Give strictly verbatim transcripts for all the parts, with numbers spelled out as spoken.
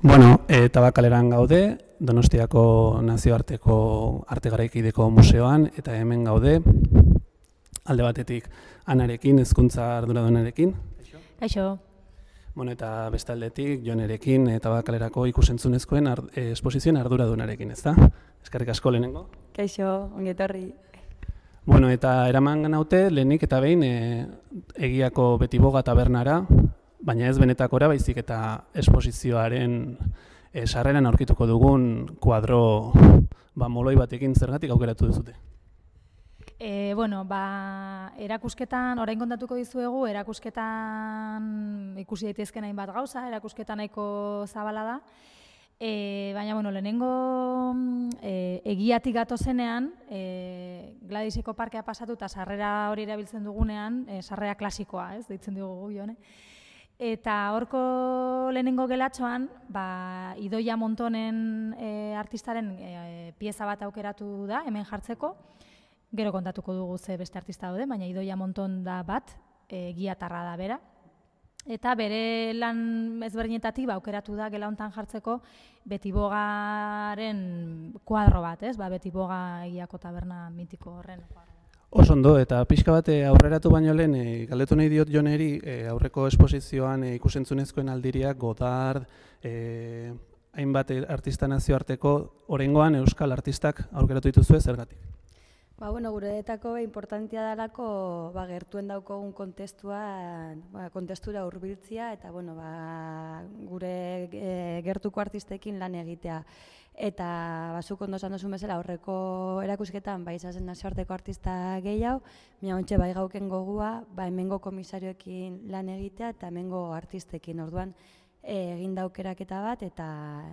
Bueno, e, Tabakaleran gaude, Donostiako Nazioarteko Arte Garaikideko Museoan, eta hemen gaude, alde batetik Anarekin, hezkuntza arduradunarekin. Kaixo. Bueno, eta beste aldetik Jonerekin, e, Tabakalerako ikusentzunezkoen ar, e, esposizioen arduradunarekin, ez da? Eskerrik asko lehenengo. Kaixo, ongetorri. Bueno, eta eraman ganaute, lehenik eta behin e, egiako Betiboga tabernara, baina ez benetakora, baizik eta esposizioaren e, sarreran aurkituko dugun kuadro ba, moloi batekin zergatik aukeratu duzute. E, bueno, ba, erakusketan, orain kontatuko dizuegu, erakusketan ikusi daitezken hainbat gauza, erakusketan nahiko zabala da. E, baina, bueno, lehenengo e, egiatik gatozenean, e, Gladyseko parkea pasatu eta sarrera hori erabiltzen dugunean, e, sarrera klasikoa, ez, deitzen dugu jone. Eta horko lehenengo gelatxoan, ba, Idoia Montonen e, artistaren e, pieza bat aukeratu da, hemen jartzeko. Gero kontatuko dugu ze beste artista daude, baina Idoia Monton da bat, e, giatarra da bera. Eta bere lan ezberdinetatik ba, aukeratu da gela hontan jartzeko Betibogaren kuadro bat, ez? Ba, Betiboga egiako taberna mitiko horren kuadro. Oso ondo, eta pixka bat aurreratu baino lehen, e, galdetu nahi diot Joneri, e, aurreko esposizioan e, ikusentzunezkoen aldiriak, Godard, e, hainbat artista nazioarteko, oraingoan euskal artistak aukeratu dituzue zergatik? Ba, bueno, gureetako importantia dalako ba, gertuen daukogun kontestua, ba, kontestura hurbiltzia eta bueno, ba, gure e, gertuko artistekin lan egitea. Eta bazuk ondo esan duzun bezala aurreko erakusketan ba, izazen nazioarteko artista gehiago, baina ontxe bai gauken gogua ba, hemengo komisarioekin lan egitea eta hemengo artistekin. Orduan egin daukeraketa bat eta,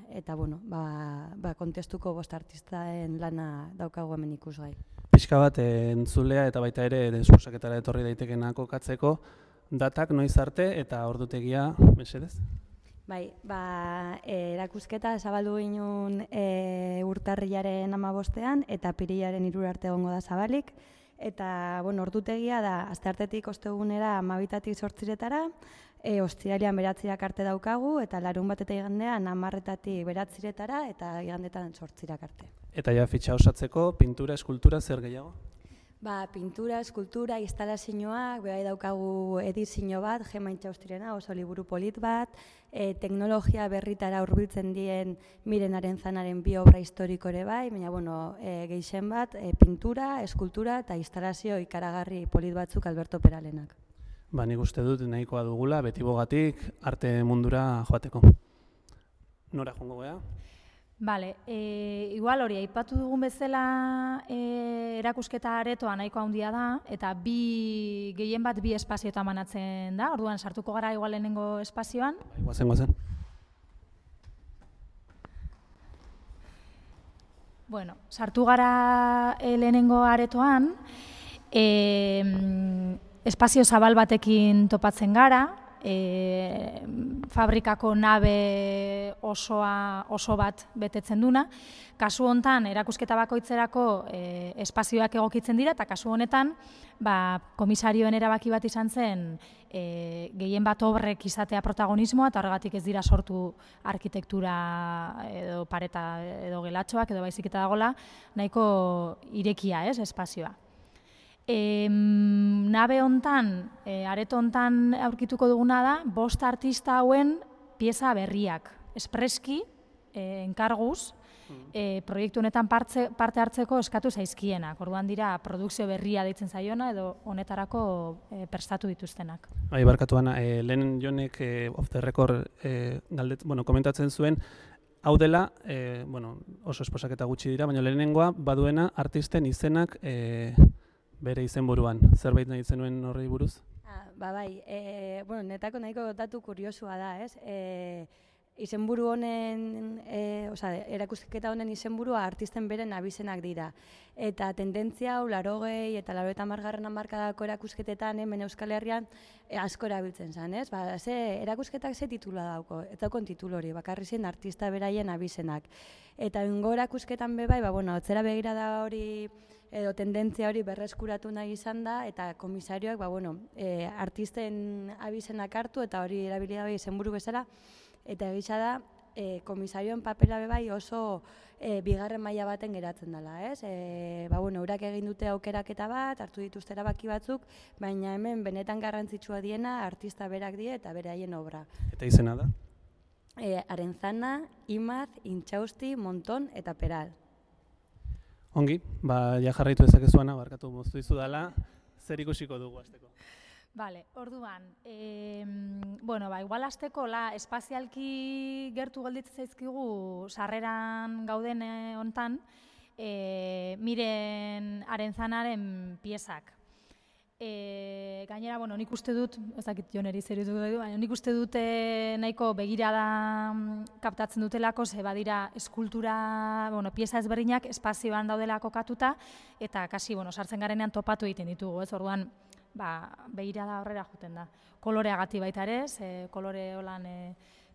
eta bueno, ba, ba, kontestuko bost artistaen lana daukagu hemen ikusgai. Pixka bat entzulea eta baita ere desposaketara etorri daitekeena kokatzeko, datak noiz arte eta ordutegia, mesedez? Bai, ba, e, erakusketa zabaldu ginen e, urtarrilaren hamabostean eta apirilaren hiru arte egongo da zabalik. Eta, bueno, ordutegia da, asteartetik ostegunera hamabitatik zortziretara, e, ostiralean beratzirak arte daukagu, eta larun bat eta igandean hamarretatik beratziretara eta igandetan zortzirak arte. Eta ja fitxa osatzeko, pintura, eskultura, zer gehiago? Ba, pintura, eskultura, instalazioak, behar daukagu edizio bat, Gema Intxaustirena, oso liburu polit bat, e, teknologia berritara hurbiltzen dien Miren Arenzanaren bi obra historikore bai, baina bueno, e, gehien bat, e, pintura, eskultura eta instalazio ikaragarri polit batzuk Alberto Peralenak. Ba, nik uste dut nahikoa dugula, Betibogatik arte mundura joateko. Nora joango gea? Bale, e, igual hori, aipatu dugun bezala e, erakusketa aretoa nahiko handia da, eta bi gehien bat bi espazioetan banatzen da, orduan sartuko gara igual lehenengo espazioan. Bai, guazen, guazen. Bueno, sartu gara e, lehenengo aretoan, e, espazio zabal batekin topatzen gara, E, fabrikako nabe osoa, oso bat betetzen duna. Kasu hontan erakusketa bakoitzerako e, espazioak egokitzen dira, eta kasu honetan ba, komisarioen erabaki bat izan zen e, gehien bat obrek izatea protagonismoa, eta horregatik ez dira sortu arkitektura edo pareta edo gelatxoak edo baizik eta dagola nahiko irekia, ez, espazioa. E, nabe hontan, e, areto hontan aurkituko duguna da, bost artista hauen pieza berriak. Espreski, e, enkarguz, e, proiektu honetan partze, parte hartzeko eskatu zaizkienak. Orduan dira, produkzio berria deitzen zaiona edo honetarako e, prestatu dituztenak. Bai, barkatuan, e, lehen Jonek e, off the record e, galdet, bueno, komentatzen zuen, hau dela, e, bueno, oso esposaketa gutxi dira, baina lehenengoa baduena artisten izenak e, bere izenburuan. Zerbait nahi zenuen horri buruz? Ah, ba bai, e, bueno, netako nahiko datu kuriosua da, ez? E, izenburu honen, e, oza, erakusketa honen izenburua artisten beren abizenak dira. Eta tendentzia hau, larogei eta larogeita hamargarren hamarkadako erakusketetan hemen Euskal Herrian e, asko erabiltzen zen, ez? Ba, ze, erakusketak ze titula dauko, ez daukon titulu hori, bakarri zen artista beraien abizenak. Eta ingo erakusketan bebai, ba, bueno, atzera begirada hori edo tendentzia hori berreskuratu nahi izan da, eta komisarioak, ba, bueno, e, artisten abizenak hartu eta hori erabilia bai izenburu bezala, eta egisa da, e, komisarioen papera bebai oso e, bigarren maila baten geratzen dela, ez? E, ba, bueno, urak egin dute aukeraketa bat, hartu dituzte erabaki batzuk, baina hemen benetan garrantzitsua diena artista berak die eta beraien obra. Eta izena da? E, Arenzana, Imaz, Intxausti, Monton eta Peral. Ongi, ba, ja jarraitu dezakezuana, barkatu moztu izu dela, zer ikusiko dugu hasteko? Vale, orduan, e, bueno, ba, igual hasteko la espazialki gertu gelditzen zaizkigu sarreran gauden hontan, e, Miren Arenzanaren piezak. E, gainera, bueno, nik uste dut, ez dakit Joneri zer dut, baina nik uste dute nahiko begirada kaptatzen dutelako, ze badira eskultura, bueno, pieza ezberdinak espazioan daudela kokatuta, eta kasi, bueno, sartzen garenean topatu egiten ditugu, ez, orduan, ba, begirada horrera juten da. Koloreagati baita ere, ze kolore holan e,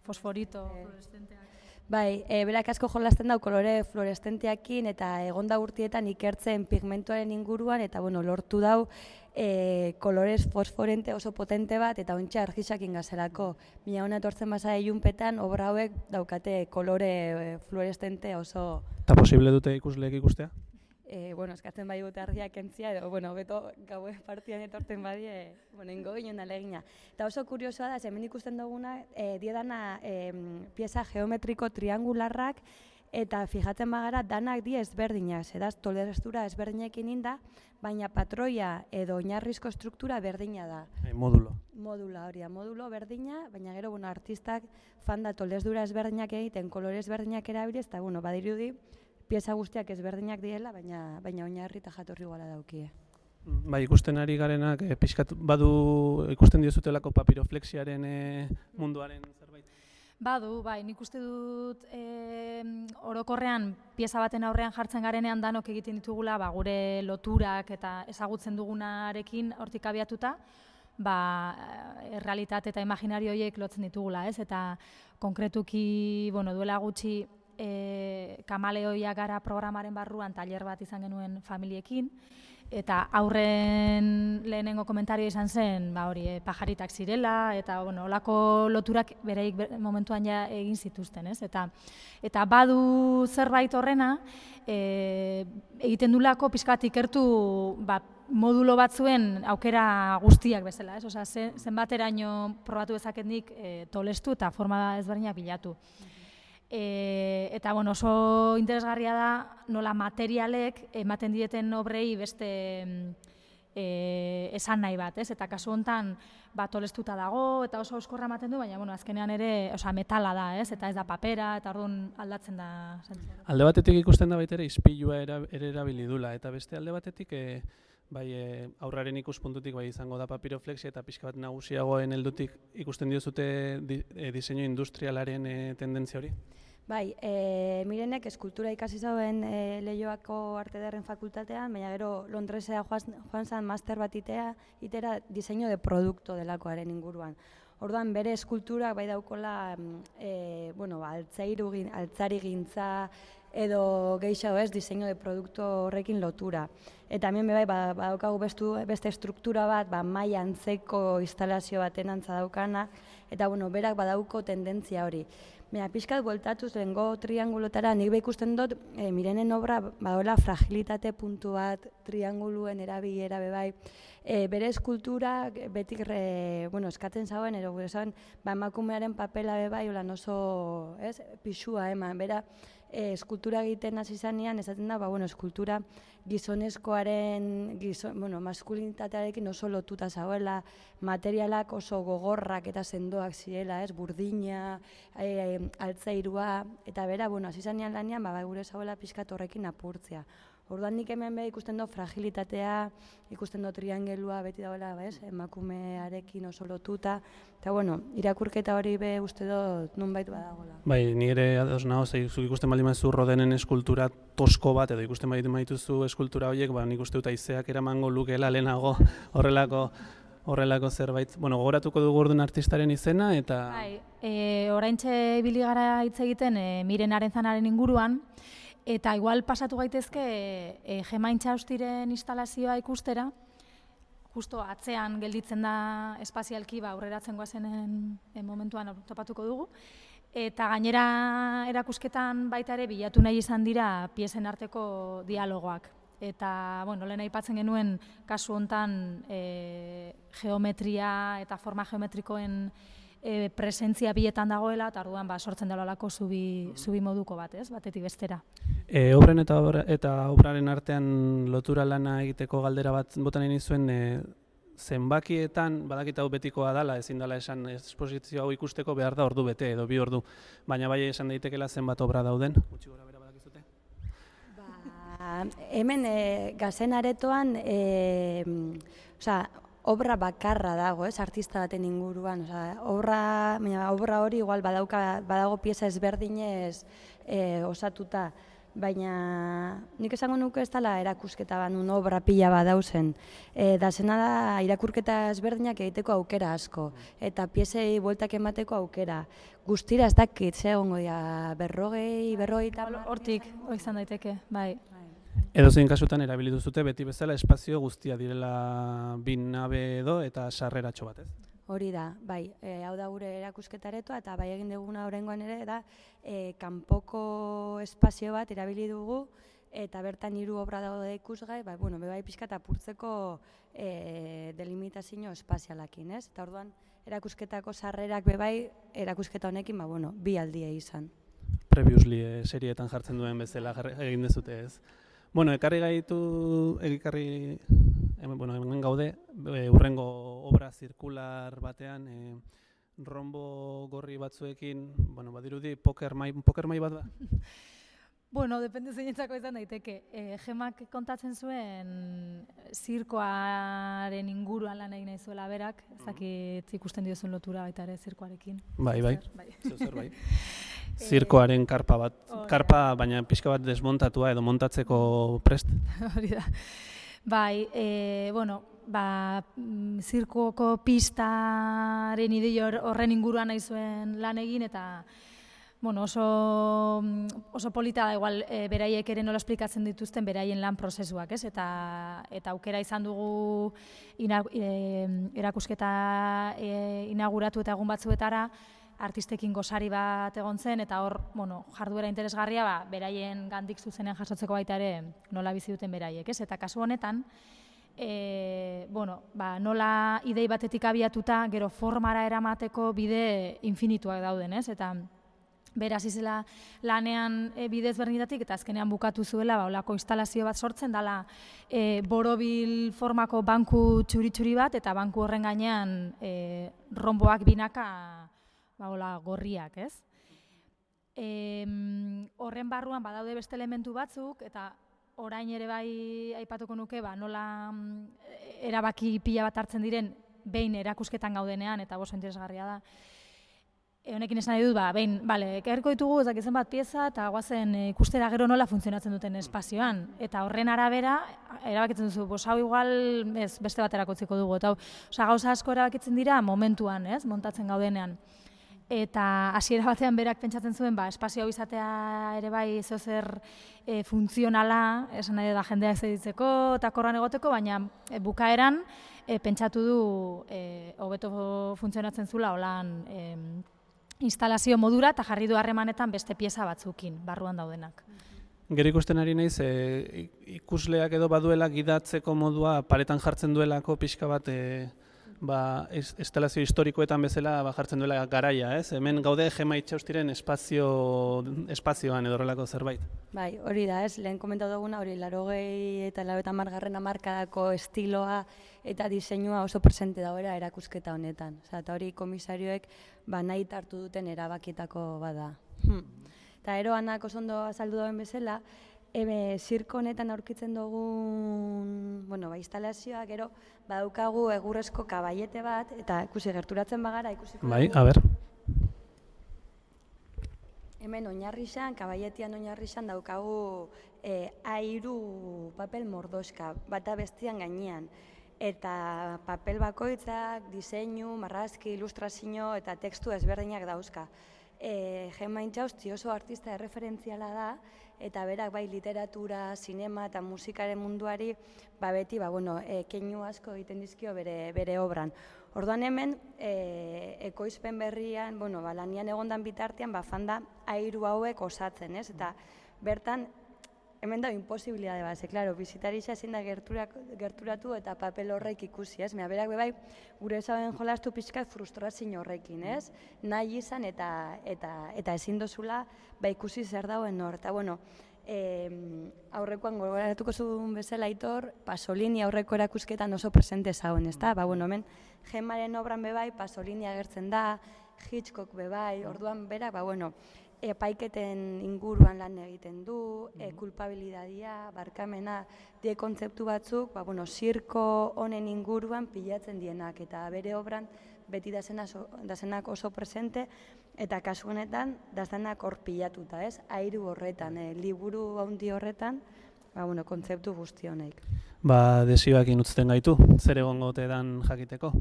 fosforito, e, fluorescenteak. Bai, e, berak asko jolasten dau kolore fluorescenteakin eta egonda urtietan ikertzen pigmentuaren inguruan eta bueno, lortu dau e, kolores fosforente oso potente bat eta ontsa argisakin gazerako. Mila hona etortzen basa ilunpetan obra hauek daukate kolore e, fluorescente oso... Eta posible dute ikusleek ikustea? E, bueno, eskatzen bai dute argiak entzia, edo, bueno, beto gaue partian etorten badie, bueno, ingo ginen alegina. Eta oso kuriosoa da, hemen ikusten duguna, e, diedana e, pieza geometriko triangularrak, eta fijatzen bagara, danak die ezberdinak, zedaz, tolerestura ezberdinekin inda, baina patroia edo oinarrizko struktura berdina da. E, modulo. Modula hori, modulo berdina, baina gero, bueno, artistak fanda tolerestura ezberdinak egiten, kolore ezberdinak erabiliz, eta, bueno, badirudi, pieza guztiak ezberdinak diela, baina baina oinarri eta jatorri iguala daukie. Bai, ikusten ari garenak, e, pixkat badu ikusten diozutelako papiroflexiaren e, munduaren zerbait? Badu, bai, nik uste dut e, orokorrean pieza baten aurrean jartzen garenean danok egiten ditugula, ba, gure loturak eta ezagutzen dugunarekin hortik abiatuta, ba, errealitate eta imaginario horiek lotzen ditugula, ez? Eta konkretuki, bueno, duela gutxi E, kamaleoia gara programaren barruan tailer bat izan genuen familiekin, eta aurren lehenengo komentario izan zen, ba hori, e, pajaritak zirela, eta bueno, olako loturak bereik momentuan ja egin zituzten, ez? Eta, eta badu zerbait horrena, e, egiten dulako pixkat ikertu ba, modulo batzuen aukera guztiak bezala, ez? Osea, zenbateraino probatu dezakenik e, tolestu eta forma ezberdinak bilatu. E, eta bueno, oso interesgarria da nola materialek ematen dieten obrei beste e, esan nahi bat, ez? Eta kasu hontan ba, tolestuta dago eta oso oskorra ematen du, baina bueno, azkenean ere osea, metala da, ez? Eta ez da papera, eta orduan aldatzen da. Alde batetik ikusten da baita ere ispilua ere erabili dula, eta beste alde batetik e, bai, e, aurraren ikuspuntutik bai izango da papiroflexia eta pixka bat nagusiagoen heldutik ikusten diozute di, e, diseinu industrialaren e, tendentzia hori? Bai, e, Mirenek eskultura ikasi zauen e, Leioako Arte Ederren fakultatean, baina gero Londresera joan, joan zan master bat itea, itera diseño de produkto delakoaren inguruan. Orduan bere eskulturak bai daukola e, bueno, altzairu, altzari gintza edo gehiago ez, diseño de produkto horrekin lotura. Eta hemen bai, badaukagu bestu, beste struktura bat, ba, maila antzeko instalazio baten antza daukana, eta bueno, berak badauko tendentzia hori. Baina, pixkat bueltatuz lehengo triangulotara, nik ikusten dut, e, Mirenen obra badola fragilitate puntu bat, trianguluen erabilera bebai, e, bere eskultura betik re, bueno, eskatzen zauen, ero gure zauen, ba, emakumearen papela bebai, olan oso, ez, pixua eman, bera, e, eskultura egiten hasi zanean, esaten da, ba, bueno, eskultura gizonezkoaren, gizon, bueno, maskulinitatearekin oso lotuta zauela, materialak oso gogorrak eta sendoak zirela, ez, burdina, e, altzairua, eta bera, bueno, hasi zanean lanean, ba, gure zauela pixkat horrekin apurtzea. Orduan nik hemen be ikusten do fragilitatea, ikusten do triangelua beti dagoela, bez, emakumearekin oso lotuta, eta bueno, irakurketa hori be uste dut nunbait badagoela. Bai, ni ere ados nago, ze zuk ikusten baldin baduzu Rodenen eskultura tosko bat, edo ikusten baldin badituzu eskultura horiek, ba, nik uste dut haizeak eramango lukeela lehenago horrelako horrelako zerbait. Bueno, gogoratuko dugu orduan artistaren izena, eta... Bai, e, oraintxe ibili gara hitz egiten e, Miren Arenzanaren inguruan, eta igual pasatu gaitezke e, Gema Intxaustiren instalazioa ikustera, justo atzean gelditzen da espazialki, ba, aurreratzen goazenen e, momentuan topatuko dugu, eta gainera erakusketan baita ere bilatu nahi izan dira piezen arteko dialogoak. Eta, bueno, lehen aipatzen genuen kasu hontan e, geometria eta forma geometrikoen e, presentzia bietan dagoela, eta orduan ba, sortzen dela olako zubi, zubi moduko bat, ez, batetik bestera. E, obren eta, obra, eta obraren artean lotura lana egiteko galdera bat botan egin zuen, e, zenbakietan, badakit hau betikoa dela, ezin dela esan esposizio hau ikusteko behar da ordu bete edo bi ordu, baina bai esan daitekeela zenbat obra dauden. Gutxi gora bera badakizute? Ba, hemen e, Gazen aretoan, e, osea, obra bakarra dago, ez, artista baten inguruan, osea, obra, baina obra hori igual badauka, badago pieza ezberdinez e, osatuta, baina nik esango nuke ez dela erakusketa bat nun obra pila badauzen. E, da zena da irakurketa ezberdinak egiteko aukera asko, eta piezei bueltak emateko aukera. Guztira ez dakit, ze egongo dira berrogei, berrogei eta... Hortik, hori izan daiteke, bai. Edozein kasutan erabili duzute beti bezala espazio guztia direla bin nabe edo eta sarreratxo bat, ez? Hori da, bai, e, hau da gure erakusketaretoa, eta bai egin duguna oraingoan ere da e, kanpoko espazio bat erabili dugu, eta bertan hiru obra daude ikusgai, bai, bueno, bebai pixka eta apurtzeko e, delimitazio espazialakin, ez? Eta orduan erakusketako sarrerak bebai erakusketa honekin, ba, bueno, bi aldie izan. Previously e, serietan jartzen duen bezala egin dezute, ez? Bueno, ekarri gaitu, egikarri, hemen, bueno, hemen gaude, e, urrengo obra zirkular batean, e, rombo gorri batzuekin, bueno, badirudi poker mai, poker mai bat da? Bueno, depende zeinentzako izan daiteke. E, Gemak kontatzen zuen zirkoaren inguruan lan egin nahi zuela berak, ez dakit ikusten diozun lotura baita ere zirkoarekin. Bai, bai, zer bai. Zirkoaren karpa bat, karpa baina pixka bat desmontatua edo montatzeko prest. Hori da. Bai, e, bueno, ba, zirkoko pistaren idei horren inguruan nahi zuen lan egin, eta bueno, oso, oso polita da, igual, e, beraiek ere nola esplikatzen dituzten beraien lan prozesuak, ez? Eta, eta aukera izan dugu ina, e, erakusketa e, inauguratu eta egun batzuetara, artistekin gosari bat egon zen, eta hor, bueno, jarduera interesgarria, ba, beraien gandik zuzenean jasotzeko baita ere nola bizi duten beraiek, ez? Eta kasu honetan, e, bueno, ba, nola idei batetik abiatuta, gero formara eramateko bide infinituak dauden, ez? Eta beraz izela lanean e, bidez berdinetatik, eta azkenean bukatu zuela, ba, olako instalazio bat sortzen, dala e, borobil formako banku txuri-txuri bat, eta banku horren gainean e, romboak binaka, ba, ola, gorriak, ez? E, horren barruan badaude beste elementu batzuk, eta orain ere bai aipatuko nuke, ba, nola erabaki pila bat hartzen diren behin erakusketan gaudenean, eta oso interesgarria da. E, honekin esan nahi dut, ba, behin, bale, ekarriko ditugu ez dakizen bat pieza, eta guazen e, ikustera gero nola funtzionatzen duten espazioan. Eta horren arabera, erabakitzen duzu, bos, hau igual ez, beste baterako utziko dugu. Eta, osea, gauza asko erabakitzen dira momentuan, ez, montatzen gaudenean. Eta hasiera batean berak pentsatzen zuen, ba, espazio hau izatea ere bai zeozer e, funtzionala, esan nahi da jendeak zeditzeko eta korran egoteko, baina e, bukaeran e, pentsatu du e, hobeto funtzionatzen zula holan e, instalazio modura eta jarri du harremanetan beste pieza batzukin, barruan daudenak. Gero ikusten ari naiz, e, ikusleak edo baduela gidatzeko modua paretan jartzen duelako pixka bat e, ba, instalazio historikoetan bezala ba, jartzen duela garaia, ez? Hemen gaude Gema Intxaustiren espazio, espazioan edo horrelako zerbait. Bai, hori da, ez, lehen komentatu duguna, hori laurogei eta laurogeita hamargarren hamarkadako estiloa eta diseinua oso presente dagoela erakusketa honetan. Osa, eta hori komisarioek ba, nahi hartu duten erabakietako bada. Hmm. Eta eroanak oso ondo azaldu dauen bezala, Ebe, zirko honetan aurkitzen dugun, bueno, ba, instalazioa, gero, badaukagu egurrezko kabaiete bat, eta ikusi gerturatzen bagara, ikusiko Bai, dugu. a ber. Hemen oinarrixan, kabaietian oinarrixan daukagu eh, airu papel mordoska, bata bestian gainean. Eta papel bakoitzak, diseinu, marrazki, ilustrazio eta tekstu ezberdinak dauzka. E, Gemma Intxausti oso artista erreferentziala da, eta berak bai literatura, sinema eta musikaren munduari ba beti ba, bueno, e, keinu asko egiten dizkio bere, bere obran. Orduan hemen, e, ekoizpen berrian, bueno, ba, lanian egondan bitartean, ba, fanda airu hauek osatzen, ez? Eta bertan, hemen da imposibilidade bat, ze, klaro, bizitarixa ezin da gerturatu eta papel horrek ikusi, ez? Mea, berak bebai, gure ezaben jolastu pixkat frustrazio horrekin, ez? Nahi izan eta, eta, eta ezin dozula ba, ikusi zer dauen hor. Eta, bueno, e, aurrekoan gogoratuko zuen bezala Aitor, Pasolini aurreko erakusketan oso presente zauen, ez da? Ba, bueno, hemen, Gemmaren obran bebai, Pasolini agertzen da, Hitchcock bebai, orduan berak, ba, bueno, epaiketen inguruan lan egiten du, e, kulpabilidadia, barkamena, die kontzeptu batzuk, ba, bueno, zirko honen inguruan pilatzen dienak, eta bere obran beti dazenak oso presente, eta kasu honetan dazenak hor pilatuta, ez? Airu horretan, e, liburu handi horretan, ba, bueno, kontzeptu guzti honek. Ba, desioak inutzten gaitu, zer egongo ote dan jakiteko.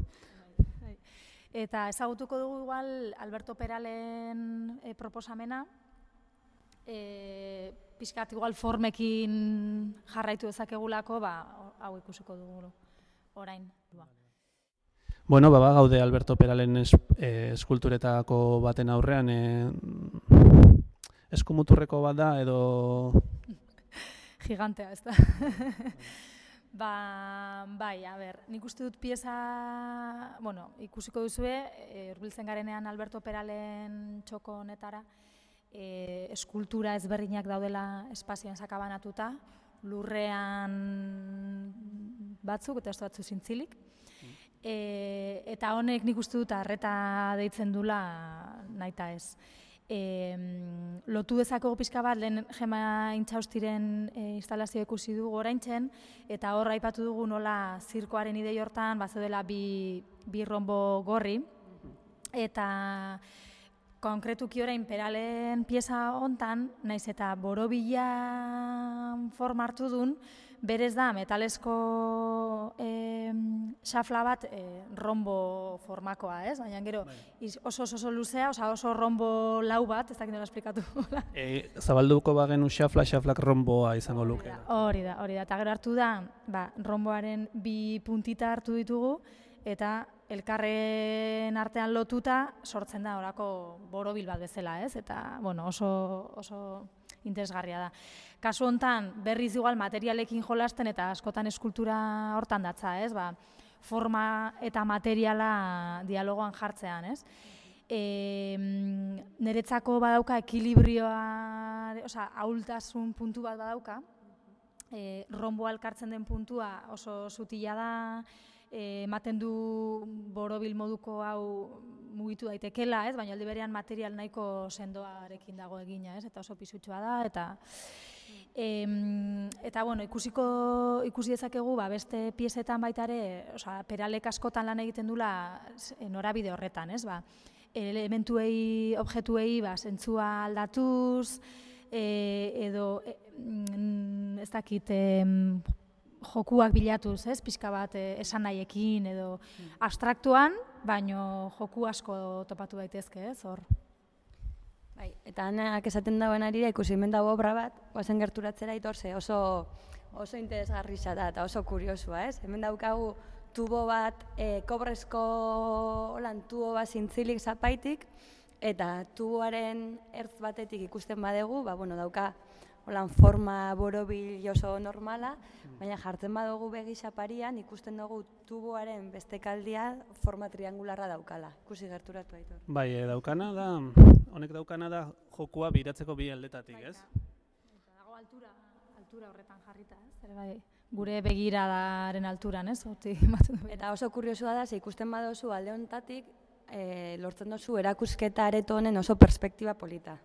Eta ezagutuko dugu igual Alberto Peralen e, proposamena, e, pixkat igual formekin jarraitu dezakegulako, ba, hau ikusiko dugu orain. Ba. Bueno, baba gaude Alberto Peralen es, eh, eskulturetako baten aurrean, eh, eskumuturreko bat da edo... Gigantea, ez da. Ba, bai, a ber, nik uste dut pieza, bueno, ikusiko duzue, hurbiltzen garenean Alberto Peralen txoko honetara, e, eskultura ezberdinak daudela espazioan sakabanatuta, lurrean batzuk eta ez batzu zintzilik. E, eta honek nik uste dut arreta deitzen dula nahita ez. E, lotu dezakegu pixka bat, lehen Gemma Intxaustiren e, instalazio ikusi dugu oraintzen, eta hor aipatu dugu nola zirkoaren idei hortan bazeudela bi, bi rombo gorri, eta konkretuki orain Peralen pieza hontan, naiz eta borobila forma hartu dun, berez da metalesko e, xafla bat e, rombo formakoa, ez? Baina gero oso oso, oso luzea, oso, oso rombo lau bat, ez dakit nola esplikatu. e, zabalduko bagenu xafla, xaflak romboa izango luke. Hori da, hori da. Eta gero hartu da, ba, romboaren bi puntita hartu ditugu, eta elkarren artean lotuta sortzen da orako borobil bat bezala, ez? Eta, bueno, oso, oso interesgarria da. Kasu hontan berriz igual materialekin jolasten eta askotan eskultura hortan datza, ez? Ba, forma eta materiala dialogoan jartzean, ez? E, niretzako badauka ekilibrioa, osea, ahultasun puntu bat badauka, e, romboa elkartzen den puntua oso sutila da, ematen du borobil moduko hau mugitu daitekela, ez? Baina aldi berean material nahiko sendoarekin dago egina, ez? Eta oso pisutxoa da, eta em, eta bueno, ikusiko ikusi dezakegu ba, beste piezetan baita ere, osea, Peralek askotan lan egiten dula norabide horretan, ez? Ba, elementuei, objektuei, ba, zentzua aldatuz, e, edo e, ez dakit, e, jokuak bilatuz, ez, pixka bat esan nahiekin edo abstraktuan, baino joku asko topatu daitezke, ez, hor. Bai, eta anak esaten dagoen arira ikusi hemen dago obra bat, goazen gerturatzera itorze, oso oso interesgarria da eta oso kuriosua, ez? Hemen daukagu tubo bat, e, kobrezko holan tubo bat zintzilik zapaitik, eta tuboaren ertz batetik ikusten badegu, ba, bueno, dauka holan forma borobil oso normala, baina jartzen badugu begi xaparian ikusten dugu tuboaren bestekaldia forma triangularra daukala. Ikusi gerturatu Aitor. Bai, e, daukana da, honek daukana da jokua biratzeko bi aldetatik, ez? Eta dago altura, altura horretan jarrita, ez? Ere bai, gure begiradaren alturan, ez? Eta oso kuriosua da, ze ikusten baduzu alde honetatik, e, lortzen duzu erakusketa areto honen oso perspektiba polita.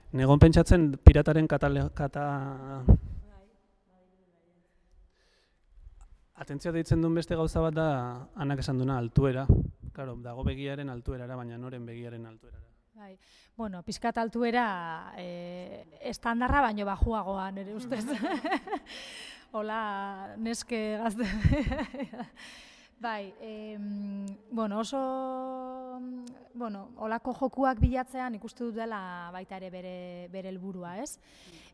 Negon pentsatzen pirataren katale, kata, Atentzioa deitzen duen beste gauza bat da, Anak esan duna, altuera. Claro, dago begiaren altuerara, baina noren begiaren altuerara. Bai. Bueno, pizkat altuera eh, estandarra baino bajuagoa nire ustez. Hola, neske gazte. Bai, eh, bueno, oso, bueno, olako jokuak bilatzean ikuste dut dela baita ere bere, bere helburua, ez?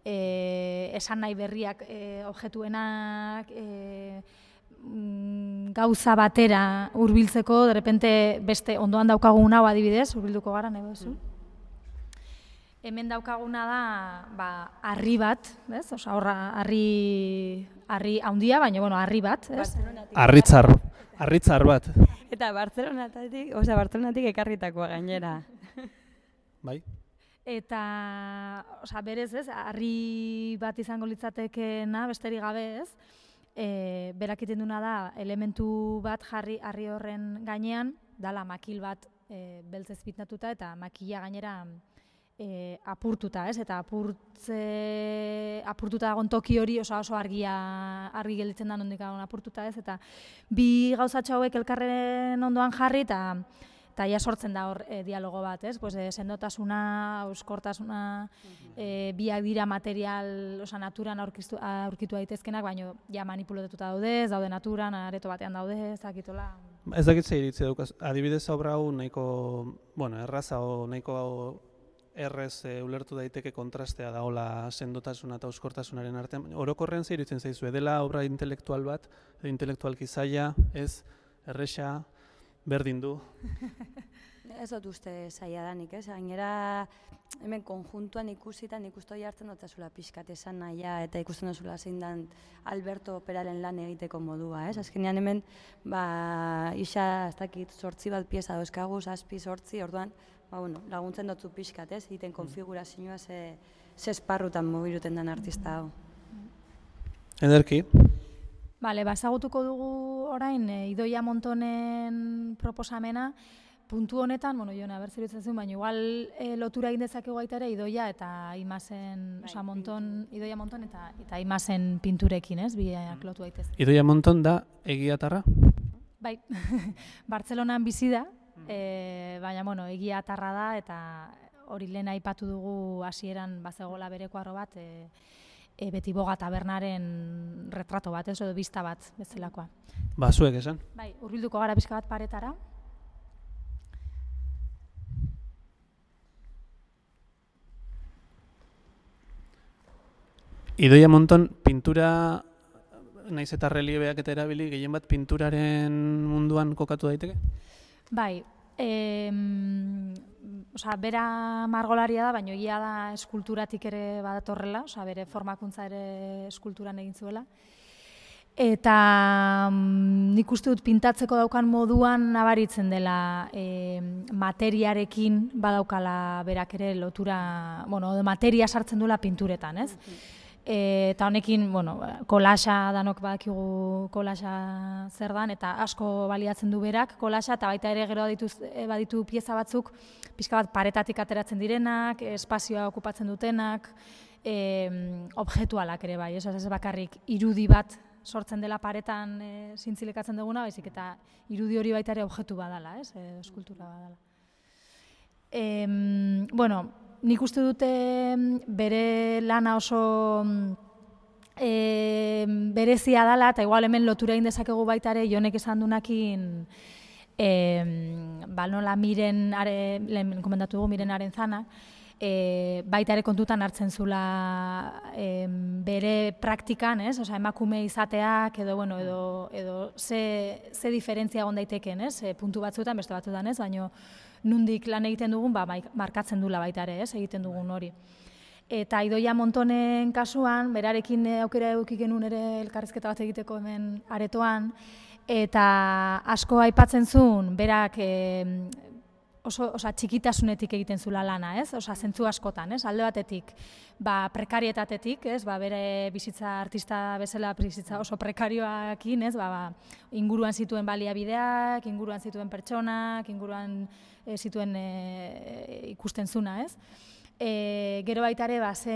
Eh, esan nahi berriak, eh, objektuenak, eh, gauza batera hurbiltzeko, de repente beste ondoan daukagun hau adibidez, hurbilduko gara nahi duzu. Hemen daukaguna da, ba, harri bat, ez? Osea, horra harri harri handia, baina bueno, harri bat, ez? Harritzar, harritzar bat. Eta Bartzelonatik, osea, Bartzelonatik ekarritakoa gainera. Bai. Eta, osea, berez, ez? Harri bat izango litzatekeena besterik gabe, ez? E, berak egiten duna da, elementu bat jarri harri horren gainean, dala makil bat e, beltzez pitnatuta eta makila gainera e, apurtuta, ez? Eta apurtze, apurtuta dagoen toki hori oso oso argia, argi gelditzen da nondik dagoen apurtuta, ez? Eta bi gauzatxo hauek elkarren ondoan jarri eta eta ja sortzen da hor e, dialogo bat, ez? Pues, e, sendotasuna, euskortasuna, e, biak dira material, osa, naturan aurkitu, aurkitu daitezkenak, baina ja manipulatuta daude, ez daude naturan, areto batean daude, ez dakitola. Ez dakit ze iritzi daukaz, adibidez obra hau nahiko, bueno, erraza o nahiko errez e, ulertu daiteke kontrastea daola sendotasuna eta euskortasunaren artean. Orokorrean ze iritzen zaizu, dela obra intelektual bat, intelektualki zaila, ez, erresa, berdin du. Ez dut uste zaila danik, ez? Gainera hemen konjuntuan ikusitan ikustoi hartzen dut zula pixkat esan nahia eta ikusten duzula zein dan Alberto Operaren lan egiteko modua, ez? Azkenean hemen, ba, isa, ez dakit, sortzi bat pieza dauzkagu, zazpi, sortzi, orduan, ba, bueno, laguntzen dutzu pixkat, ez? Egiten konfigurazioa ze, ze esparrutan mobiluten den artista hau. Ederki. Bale, ba, ezagutuko dugu orain, e, Idoia Montonen proposamena, puntu honetan, bueno, Jone, aber zeruditzen zuen, baina igual e, lotura egin dezakegu baita ere Idoia eta Imazen, bai, oza, Monton, Idoia Monton eta, eta Imazen pinturekin, ez, biak lotu daitez. Idoia Monton da egiatarra? Bai, Bartzelonan bizi da, e, baina, bueno, egiatarra da eta hori lehen aipatu dugu hasieran bazegola bereko arro bat, e, E, Betiboga tabernaren retrato bat, ez, edo bista bat bezalakoa. Ba, zuek esan? Bai, hurbilduko gara pixka bat paretara. Idoia Monton pintura, naiz eta reliebeak eta erabili, gehien bat pinturaren munduan kokatu daiteke? Bai, e, osea, bera margolaria da, baina egia da eskulturatik ere badatorrela, osea, bere formakuntza ere eskulturan egin zuela. Eta mm, nik uste dut pintatzeko daukan moduan nabaritzen dela e, materiarekin badaukala berak ere lotura, bueno, materia sartzen duela pinturetan, ez? E, eta honekin, bueno, kolaxa danok badakigu kolaxa zer dan, eta asko baliatzen du berak kolaxa, eta baita ere gero baditu, baditu pieza batzuk, pixka bat paretatik ateratzen direnak, espazioa okupatzen dutenak, e, objektualak ere bai, ez, ez bakarrik irudi bat sortzen dela paretan e, zintzilekatzen duguna, baizik eta irudi hori baita ere objektu badala, ez, e, eskultura badala. E, bueno, nik uste dute bere lana oso e, berezia dela, eta igual hemen lotura egin dezakegu baita ere Jonek esan dunakin e, ba, nola miren, are, lehen komentatu dugu, miren Arenzanak, e, baita ere kontutan hartzen zula e, bere praktikan, ez? Osea, emakume izateak edo, bueno, edo, edo ze, ze diferentzia egon daiteken, ez? E, puntu batzuetan, beste batzuetan, ez? Baina nundik lan egiten dugun, ba, markatzen dula baita ere, ez? Egiten dugun hori. Eta Idoia Montonen kasuan, berarekin aukera eduki genuen ere elkarrizketa bat egiteko hemen aretoan, eta asko aipatzen zuen, berak e, oso, osa, txikitasunetik egiten zula lana, ez? Osa, zentzu askotan, ez? Alde batetik, ba, prekarietatetik, ez? Ba, bere bizitza artista bezala bizitza oso prekarioakin, ez? Ba, ba, inguruan zituen baliabideak, inguruan zituen pertsonak, inguruan e, zituen e, ikusten zuna, ez? E, gero baita ere, ba, ze,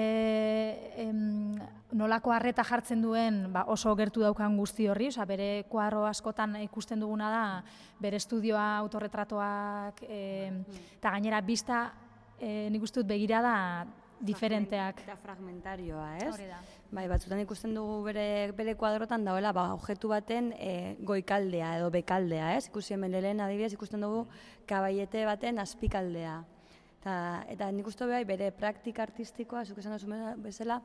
em, nolako harreta jartzen duen ba, oso gertu daukan guzti horri, oza, bere kuadro askotan ikusten duguna da, bere estudioa, autorretratoak, e, eta gainera bista, e, nik uste dut begirada diferenteak. Eta fragmentarioa, ez? Hori da. Bai, batzutan ikusten dugu bere, bere kuadrotan dagoela, ba, objektu baten e, goikaldea edo bekaldea, ez? Ikusi hemen lehen adibidez ikusten dugu kabaiete baten azpikaldea. Eta, eta nik uste bai, bere praktika artistikoa, zuk esan duzu bezala,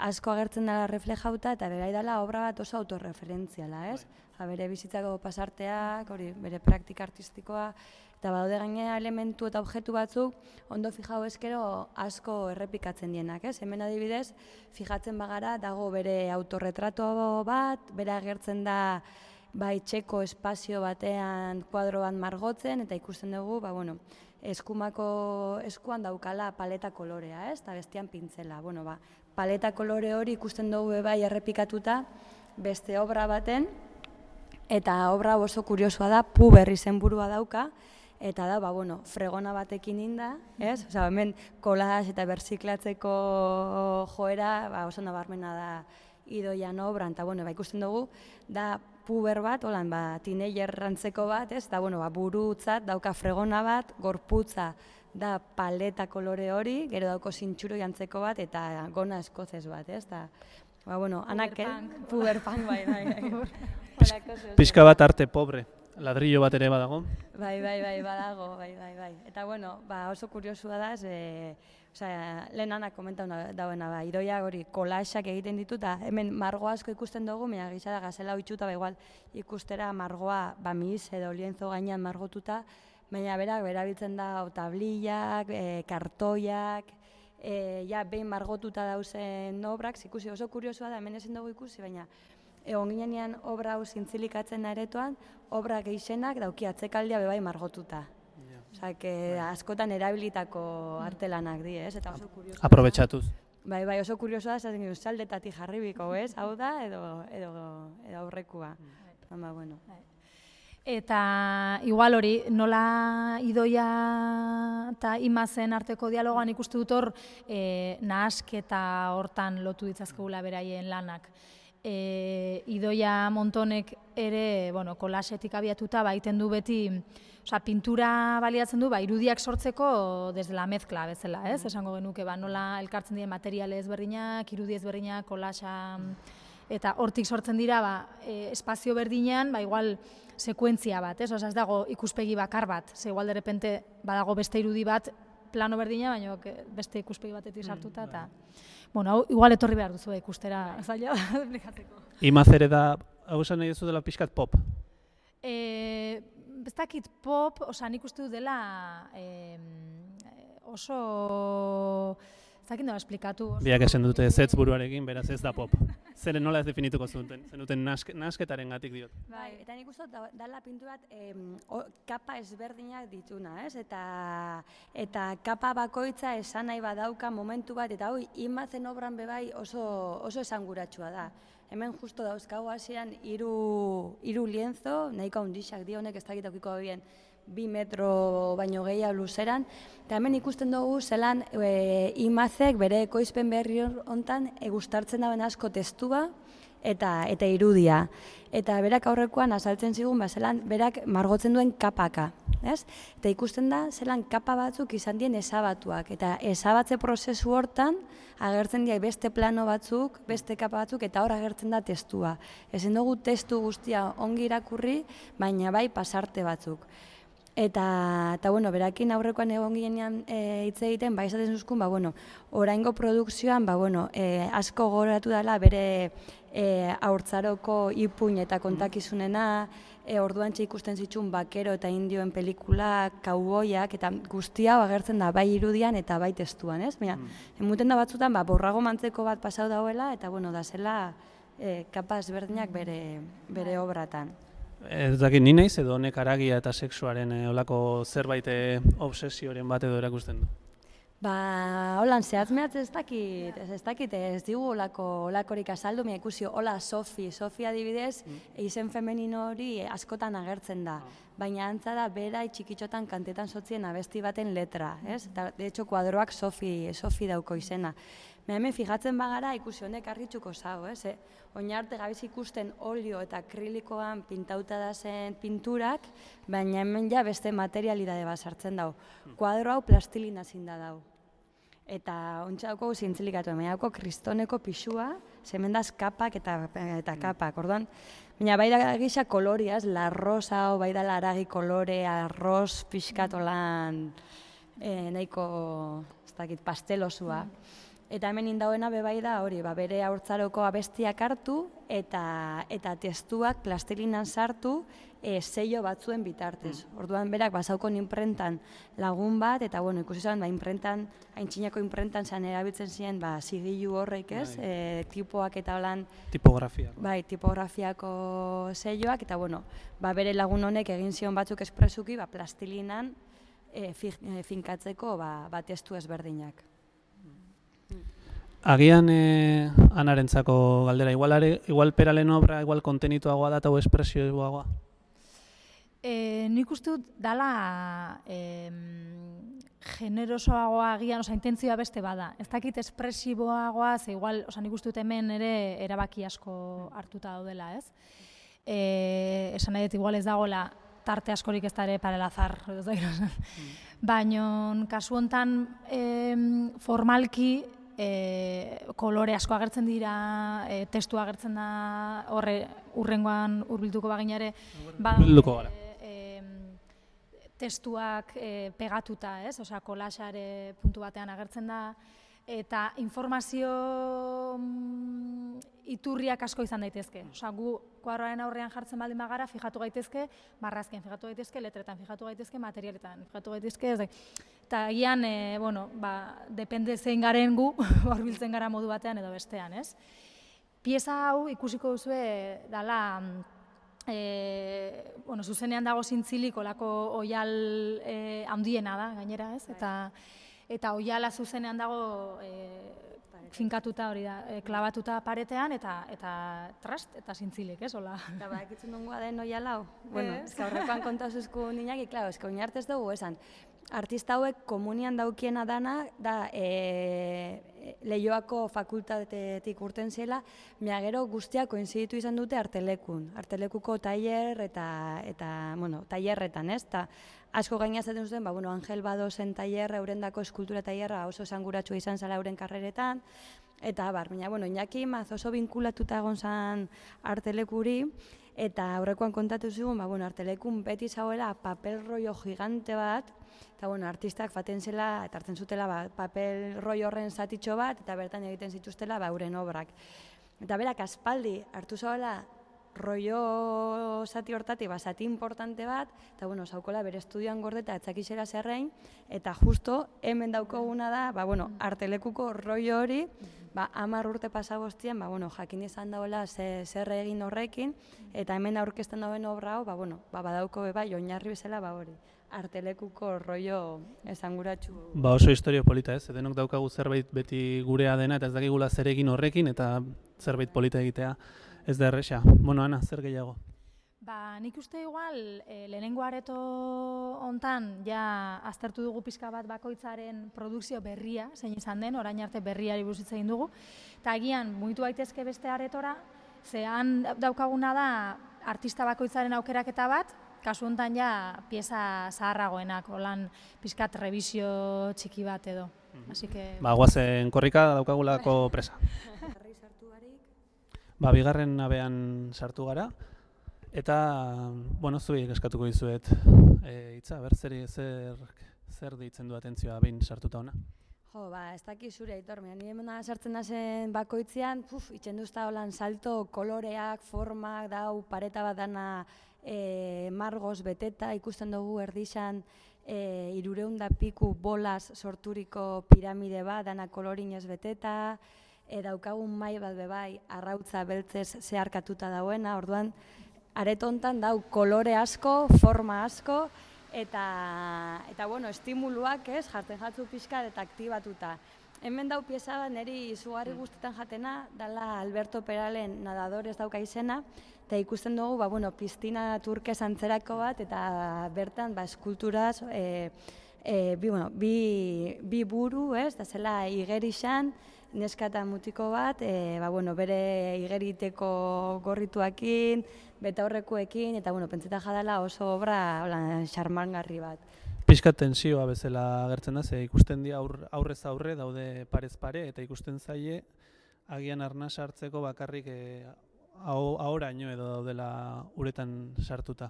asko agertzen dela reflejauta eta bere dela obra bat oso autorreferentziala, ez? Ja, bere bizitzako pasarteak, hori, bere praktika artistikoa, eta badaude gainera elementu eta objektu batzuk ondo fijau eskero asko errepikatzen dienak, ez? Hemen adibidez, fijatzen bagara, dago bere autorretrato bat, bere agertzen da bai txeko espazio batean kuadro bat margotzen, eta ikusten dugu, ba, bueno, eskumako eskuan daukala paleta kolorea, ez? Eta bestean pintzela. Bueno, ba, paleta kolore hori ikusten dugu bai errepikatuta beste obra baten, eta obra oso kuriosua da, Puber izenburua dauka, eta da, ba, bueno, fregona batekin inda, ez? Osea, hemen kolaz eta berziklatzeko joera, ba, oso nabarmena da Idoian obran, eta, bueno, ba, ikusten dugu, da puber bat, holan, ba, teenager rantzeko bat, ez? Da, bueno, ba, burutzat dauka fregona bat, gorputza da paleta kolore hori, gero dauko zintxuro jantzeko bat, eta gona eskozez bat, ez? Da, ba, bueno, anak, puberpunk, bai, bai, bai. Pixka bat arte pobre, ladrillo bat ere badago. Bai, bai, bai, badago, bai, bai, bai. Eta, bueno, ba, oso kuriosua da, ze, osea, lehen anak komentau dauena, ba, Idoia hori kolaxak egiten ditu, eta hemen margo asko ikusten dugu, mea gisa da gazela oitxuta, ba, igual ikustera margoa, ba, mis edo lienzo gainean margotuta, baina berak, berabiltzen da, tablillak, e, kartoiak, e, ja, behin margotuta dauzen obrak, ikusi oso kuriosua da, hemen ezin dugu ikusi, baina egon ginean obra hau zintzilikatzen aretoan, obra gehienak dauki atzekaldia bebai margotuta. Osa, que askotan erabilitako artelanak di, ez? Eta oso kuriosoa. Aprobetxatuz. Bai, bai, oso kuriosoa da, esaten gero, saldetatik jarribiko, ez? Hau da, edo, edo, edo aurrekua. Ba, bueno. Eta igual hori, nola Idoia eta Imazen arteko dialogoan ikustu dut hor, e, nahasketa hortan lotu ditzazkegula beraien lanak. E, Idoia Montonek ere, bueno, kolasetik abiatuta baiten du beti, osea, pintura baliatzen du, ba, irudiak sortzeko desde la mezcla bezala, ez? Esango genuke, ba, nola elkartzen diren materiale ezberdinak, irudi ezberdinak, kolasa, eta hortik sortzen dira, ba, e, espazio berdinean, ba, igual, sekuentzia bat, ez? Osea, ez dago ikuspegi bakar bat, ze igual de repente badago beste irudi bat, plano berdina, baina beste ikuspegi batetik sartuta, eta, bueno, hau, igual etorri behar duzu ikustera, zaila da, esplikatzeko. Imazere da, hau esan nahi duzu dela pixkat pop? E, ez dakit pop, osea, nik uste dut dela eh, oso, ez dakit nola esplikatu. Biak esan dute zetz buruarekin, beraz ez da pop. Zeren nola ez definituko zuten, zenuten nask, nasketaren gatik diot. Bai, eta nik uste dut dala pintu bat eh, kapa ezberdinak dituna, ez? Eta, eta kapa bakoitza esan nahi badauka momentu bat, eta hoi, Imazen obran bebai oso, oso esanguratsua da. Hemen justo dauzkagu hasieran hiru hiru lienzo, nahiko handixak di honek ez dakit aukiko bien bi metro baino gehiago luzeran, eta hemen ikusten dugu zelan e, Imazek bere ekoizpen berri hontan e, gustartzen dauen asko testua eta eta irudia. Eta berak aurrekoan azaltzen zigun, ba, zelan berak margotzen duen kapaka, ez? Eta ikusten da zelan kapa batzuk izan dien ezabatuak, eta ezabatze prozesu hortan agertzen dira beste plano batzuk, beste kapa batzuk, eta hor agertzen da testua. Ezin dugu testu guztia ongi irakurri, baina bai pasarte batzuk. Eta, eta bueno, berakin aurrekoan egon ginean hitz e, egiten, ba, esaten zuzkun, ba, bueno, oraingo produkzioan, ba, bueno, e, asko gogoratu dela bere e, haurtzaroko ipuin eta kontakizunena, e, orduan ikusten zituen bakero eta indioen pelikulak, kauboiak, eta guzti hau agertzen da bai irudian eta bai testuan, ez? Baina, mm. emuten da batzutan, ba, borrago mantzeko bat pasau dauela, eta, bueno, da zela e, kapa ezberdinak bere, bere obratan. Ez dakit, ni naiz edo honek haragia eta sexuaren e, olako zerbait e, obsesioren bat edo erakusten du? Ba, holan, zehatz mehatz ez dakit, ez, ez dakit, ez digu olako, olakorik azaldu, mea ikusi, hola Sofi, Sofi adibidez, mm. izen femenino hori askotan agertzen da. baina antza da bera txikitxotan kantetan sotzien abesti baten letra, ez? Eta, de hecho, kuadroak Sofi, Sofi dauko izena. Hemen fijatzen bagara ikusi honek argitzuko zau, ez? Eh? Oin arte gabiz ikusten olio eta akrilikoan pintauta da zen pinturak, baina hemen ja beste materialidade bat sartzen dau. Kuadro hau plastilina zinda dau. Eta ontsa dauko zintzilikatu, hemen dauko kristoneko pixua, zemendaz kapak eta, eta kapak, orduan. Baina bai da gisa koloriaz, la rosa, bai da laragi kolore, arroz pixkatolan, eh, nahiko, ez dakit, pastelosua. Eta hemen indauena bebai da hori, ba, bere haurtzaroko abestiak hartu eta eta testuak plastilinan sartu e, sello batzuen bitartez. Orduan berak basaukon inprentan lagun bat, eta bueno, ikusi zan, ba, inprentan, aintzinako inprentan zan erabiltzen ziren ba, zigilu horrek, ez? E, tipoak eta holan... Tipografia. Bai, tipografiako selloak, eta bueno, ba, bere lagun honek egin zion batzuk espresuki, ba, plastilinan e, fi, e, finkatzeko ba, ba, testu ezberdinak. Agian eh, anarentzako galdera, igual, are, igual peralen obra, igual kontenituagoa da eta espresioagoa? E, nik uste dut dala e, generosoagoa agian, oza, intentzioa beste bada. Ez dakit espresiboagoa, ze igual, oza, nik uste dut hemen ere erabaki asko hartuta daudela, ez? E, esan nahi dut, igual ez dagoela tarte askorik ez da ere parelazar, ez da gira. Baina, kasu hontan e, formalki, E, kolore asko agertzen dira, e, testu agertzen da, horre urrengoan hurbilduko baginare, ba, e, e, testuak e, pegatuta, ez? Osea, kolaxare puntu batean agertzen da, eta informazio mm, iturriak asko izan daitezke. Osea, gu kuadroaren aurrean jartzen baldin bagara, fijatu gaitezke, marrazken fijatu gaitezke, letretan fijatu gaitezke, materialetan fijatu gaitezke, ez da. Eta agian, e, bueno, ba, depende zein garen gu, horbiltzen gara modu batean edo bestean, ez? Pieza hau ikusiko duzue dala, e, bueno, zuzenean dago zintzilik olako oial e, handiena da, gainera, ez? Eta, eta oiala zuzenean dago e, finkatuta hori da, e, klabatuta paretean, eta eta trast, eta zintzilik, ez? Ola. Eta ba, ekitzen dungoa den oiala hau? Bueno, ez que horrekoan kontauzuzku ninaki, klaro, ez que oinartez dugu esan. Artista hauek komunian daukiena dana, da e, Leioako fakultatetik urten zela, mea gero guztiak koinziditu izan dute artelekun. Artelekuko tailer eta, eta bueno, tailerretan, ez? Ta asko gaina zaten zuten, ba, bueno, Angel Badosen tailerra, eurendako eskultura tailerra oso esanguratsua izan zela euren karreretan, eta bar, baina, bueno, Iñaki Maz oso binkulatuta egon zan artelekuri, eta aurrekoan kontatu zigun, ba, bueno, artelekun beti zauela papel rollo gigante bat, eta bueno, artistak faten zela, eta hartzen zutela ba, papel roi horren zatitxo bat, eta bertan egiten zituztela ba, euren obrak. Eta berak aspaldi hartu zauela rollo zati hortatik, ba, zati importante bat, eta bueno, zaukola bere estudioan gordeta etzakizera zerrein, eta justo hemen daukoguna da, ba, bueno, artelekuko rollo hori, ba, hamar urte pasaboztien, ba, bueno, jakin izan dagoela ze, zer egin horrekin, eta hemen aurkezten dauen obra hau, ba, bueno, ba, badauko beba, oinarri bezala ba hori. Artelekuko rollo esanguratsu. Ba oso historio polita, ez? Denok daukagu zerbait beti gurea dena eta ez dakigula zer egin horrekin eta zerbait polita egitea ez da erresa. Bueno, Ana, zer gehiago? Ba, nik uste igual, e, lehenengo areto hontan ja aztertu dugu pixka bat bakoitzaren produkzio berria, zein izan den, orain arte berriari buruz hitz egin dugu, eta agian mugitu daitezke beste aretora, zehan daukaguna da artista bakoitzaren aukeraketa bat, kasu honetan ja pieza zaharragoenak, holan pixkat revisio txiki bat edo. Así que... Ba, guazen korrika daukagulako presa. Ba, bigarren nabean sartu gara, eta, bueno, zuei eskatuko dizuet e, hitza, ber, zer, zer, zer deitzen du atentzioa behin sartuta ona? Jo, ba, ez daki zure, Aitor, ni hemen sartzen nazen bakoitzean, puf, itxen duzta holan salto, koloreak, formak, dau, pareta bat dana, E, margoz beteta, ikusten dugu erdixan e, irureunda piku bolaz sorturiko piramide bat, dana kolorinez beteta, e, daukagun mai bat bebai, arrautza beltzez zeharkatuta dauena, orduan, aretontan dau kolore asko, forma asko, eta, eta bueno, estimuluak, ez, jartzen jatzu pixka eta aktibatuta. Hemen dau pieza bat niri izugarri guztetan jatena, dala Alberto Peralen Nadadores dauka izena, eta ikusten dugu, ba, bueno, piztina turkez antzerako bat, eta bertan, ba, eskulturaz, e, e, bi, bueno, bi, bi buru, ez, da zela igerixan, neska eta mutiko bat, e, ba, bueno, bere igeriteko gorrituakin, betaurrekoekin, eta, bueno, pentseta jadala oso obra, hola, xarmangarri bat. Pixka tensioa bezala agertzen da, ze ikusten dira aur, aurrez aurre daude parez pare, eta ikusten zaie agian arnas hartzeko bakarrik e, ahoraino edo daudela uretan sartuta.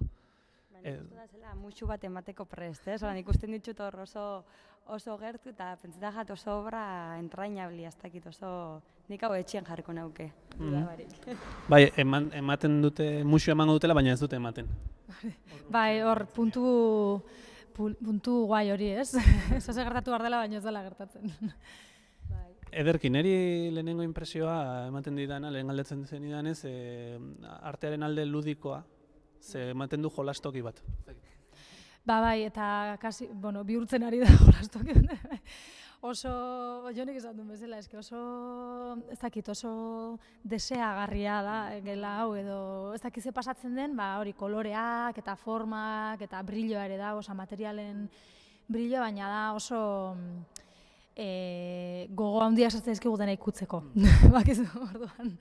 Baina, e, da zela musu bat emateko prest, ez? Oran, ikusten ditut hor oso, oso gertu, eta pentseta jat oso obra entrainabli, ez dakit oso nik hau etxean jarriko nauke. Mm-hmm. Bai, eman, ematen dute, musu emango dutela, baina ez dute ematen. Bai, hor puntu... puntu guai hori, ez? Eso se gertatu behar dela, baina ez dela gertatzen. Ederki, niri lehenengo impresioa ematen didana, lehen galdetzen zen idanez, e, artearen alde ludikoa, ze ematen du jolastoki bat. Ba bai, eta kasi, bueno, bihurtzen ari da jolastoki. Oso, jonek esan duen bezala, eske oso, ez dakit, oso deseagarria da, gela hau, edo ez dakit ze pasatzen den, ba hori koloreak eta formak eta brilloa ere da, osa materialen brilloa, baina da oso e, gogo handia sartzen dizkigu dena ikutzeko. Bakizu, orduan.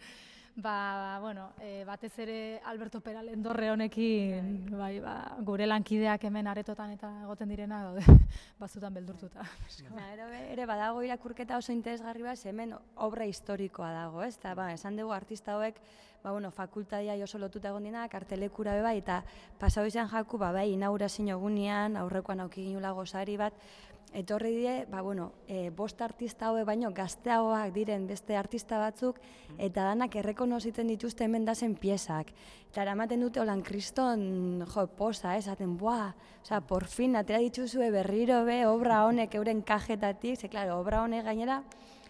Ba, bueno, e, batez ere Alberto Peralen dorre honekin, bai, ba, gure lankideak hemen aretotan eta egoten direna daude, batzutan beldurtuta. Ja, ere, ere badago irakurketa oso interesgarri bat, hemen obra historikoa dago, ez? Ta, ba, esan dugu artista hauek, ba, bueno, fakultadia oso lotuta egon dinak, artelekura be bai, eta pasau izan jaku, ba, bai, inaugurazio egunean, aurrekoan auki ginula gozari bat, etorri die, ba, bueno, e, bost artista hauek baino gazteagoak diren beste artista batzuk, eta danak errekonozitzen dituzte hemen dazen piezak. Eta eramaten dute holan kriston jo, posa, esaten, buah, osea, por fin, atera dituzue berriro be, obra honek euren kajetatik, ze, klaro, obra honek gainera,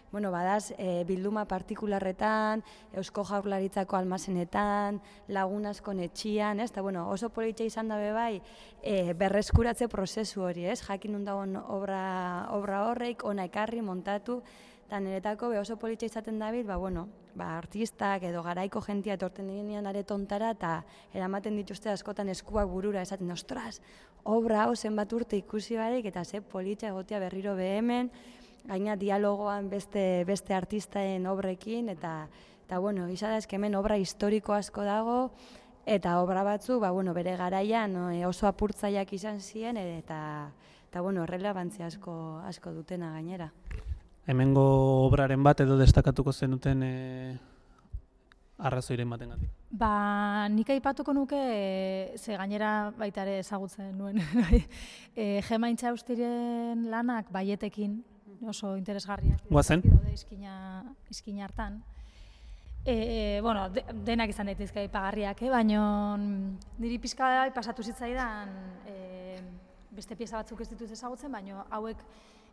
bueno, badaz, e, bilduma partikularretan, Eusko Jaurlaritzako almazenetan, Lagun askon etxian, ez? Eta, bueno, oso politxe izan dabe bai, e, berreskuratze prozesu hori, ez? Jakin undagon obra, obra horreik, ona ekarri, montatu, eta niretako be oso politxe izaten dabil, ba, bueno, ba, artistak edo garaiko jentia etorten dinean aretontara, eta eramaten dituzte askotan eskuak burura, esaten, ostras, obra hau zenbat urte ikusi barik, eta ze politxe egotea berriro behemen, gaina dialogoan beste, beste artistaen obrekin, eta, eta bueno, gisa da hemen obra historiko asko dago, eta obra batzu, ba, bueno, bere garaian no, oso apurtzaileak izan ziren, eta, eta bueno, relevantzia asko, asko dutena gainera. Hemengo obraren bat edo destakatuko zenuten e, arrazoiren baten gatik? Ba, nik aipatuko nuke, ze gainera baita ere ezagutzen nuen, e, Gema Intxaustiren lanak baietekin, oso interesgarriak. Guazen? Izkina, izkina hartan. E, bueno, de, denak izan daitezke aipagarriak, eh? Baina niri pixka da pasatu zitzaidan e, beste pieza batzuk ez dituz ezagutzen, baina hauek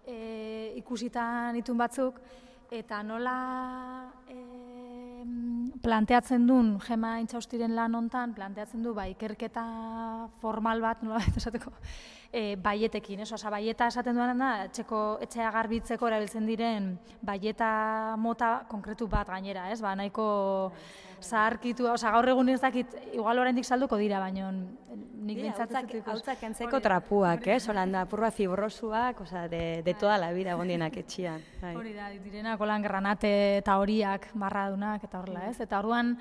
e, ikusitan itun batzuk, eta nola e, planteatzen duen Gema Intxaustiren lan hontan, planteatzen du ba, ikerketa formal bat, nola baita esateko, e, baietekin, ez? Osa, baieta esaten duan da, etxeko, etxea garbitzeko erabiltzen diren baieta mota konkretu bat gainera, ez? Ba, nahiko zaharkitu, osa, gaur egun ez dakit, igual oraindik salduko dira, baina nik bintzatzen dut. Hautzak entzeko trapuak, ez? Holan da, purra fibrosuak, osa, de, de toda la vida egon dienak etxian. Hori da, direnak holan granate eta horiak, marradunak eta horrela, ez? Eta orduan,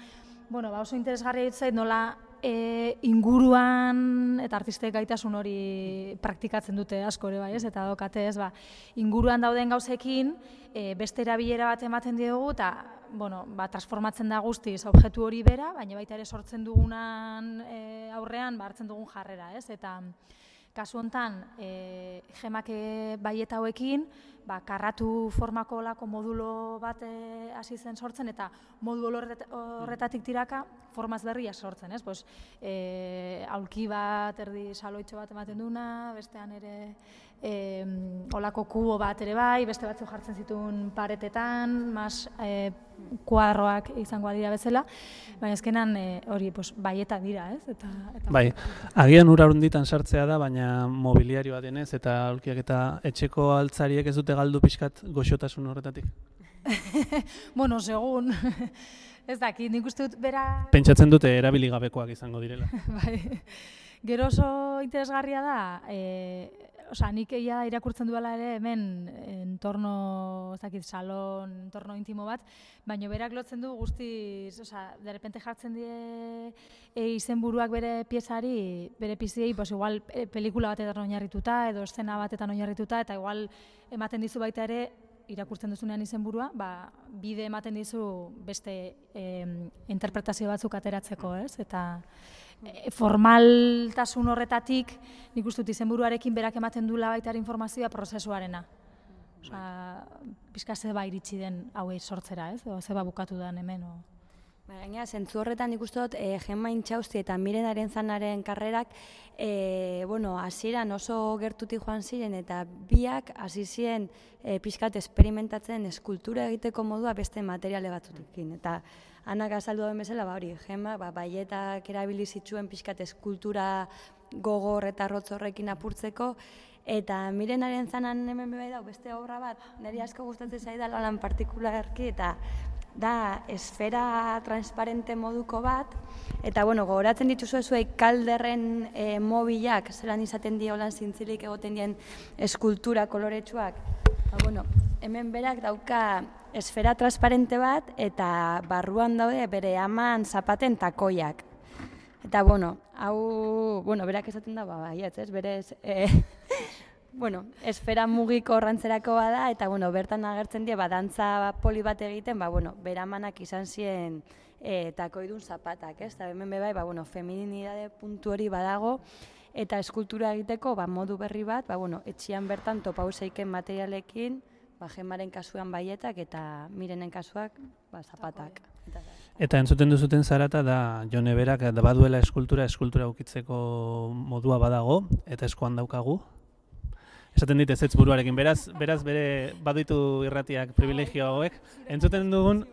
bueno, ba oso interesgarria ditzait nola e, inguruan eta artistek gaitasun hori praktikatzen dute asko ere bai, ez? Eta dokate, ez, ba, inguruan dauden gauzekin e, beste erabilera bat ematen diogu eta bueno, ba, transformatzen da guztiz objektu hori bera, baina baita ere sortzen dugunan e, aurrean ba, hartzen dugun jarrera, ez? Eta kasu hontan, e, Gemak baieta hauekin, ba, karratu formako olako modulo bat hasi zen sortzen, eta modulo horretatik tiraka formaz berria sortzen, ez? Pues, e, aulki bat, erdi saloitxo bat ematen duna, bestean ere e, olako kubo bat ere bai, beste batzuk jartzen zituen paretetan, mas e, kuadroak izango dira bezala, baina ezkenan e, hori pues, baieta dira, ez? Eta, eta bai, agian ura hunditan sartzea da, baina mobiliarioa denez, eta aulkiak eta etxeko altzariek ez dute galdu pixkat goxotasun horretatik? Bueno, segun, ez dakit, nik uste dut bera... Pentsatzen dute erabili gabekoak izango direla. Bai, gero oso interesgarria da, e, Osa, nik egia irakurtzen duela ere hemen entorno, ez dakit, salon, entorno intimo bat, baina berak lotzen du guztiz, osa, derrepente jartzen die e, izenburuak bere piezari, bere piziei, pues igual e, pelikula batetan oinarrituta edo eszena batetan oinarrituta, eta igual ematen dizu baita ere, irakurtzen duzunean izenburua, ba, bide ematen dizu beste e, interpretazio batzuk ateratzeko, ez? Eta formaltasun horretatik, nik uste dut izenburuarekin berak ematen duela baita informazioa prozesuarena. Osa, pixka zeba iritsi den hauei sortzera, ez? O zeba bukatu den hemen. O... Gaina, zentzu horretan nik uste dut, e, Gemma Intxausti eta Miren Arenzanaren karrerak, e, bueno, hasieran oso gertutik joan ziren, eta biak hasi ziren e, pixkat esperimentatzen eskultura egiteko modua beste materiale batzutekin. Eta Anak azaldu den bezala, ba hori, Gemma, ba, baietak erabili zituen pixkat eskultura gogor eta rotz horrekin apurtzeko, eta Miren Arenzanan hemen bai dago beste obra bat, niri asko gustatzen zaidala lan partikularki, eta da esfera transparente moduko bat, eta bueno, gogoratzen dituzu zuei kalderren e, mobilak, zelan izaten dio lan zintzilik egoten dien eskultura koloretsuak. Ba, bueno, hemen berak dauka esfera transparente bat eta barruan daude bere aman zapaten takoiak. Eta, bueno, hau, bueno, berak esaten da, ba, baietz, ez, berez, e, bueno, esfera mugiko rantzerako bada, eta, bueno, bertan agertzen die, ba, dantza poli bat egiten, ba, bueno, bere amanak izan ziren e, takoidun zapatak, ez, eta hemen bebai, ba, bueno, feminidade puntu hori badago, eta eskultura egiteko, ba, modu berri bat, ba, bueno, etxian bertan topauseiken materialekin, ba, Gemmaren kasuan baietak eta Mirenen kasuak ba, zapatak. Eta entzuten duzuten zarata da Jone berak da baduela eskultura, eskultura ukitzeko modua badago, eta eskuan daukagu. Esaten dit ezetz buruarekin, beraz, beraz bere baduitu irratiak privilegio hauek. Entzuten dugun,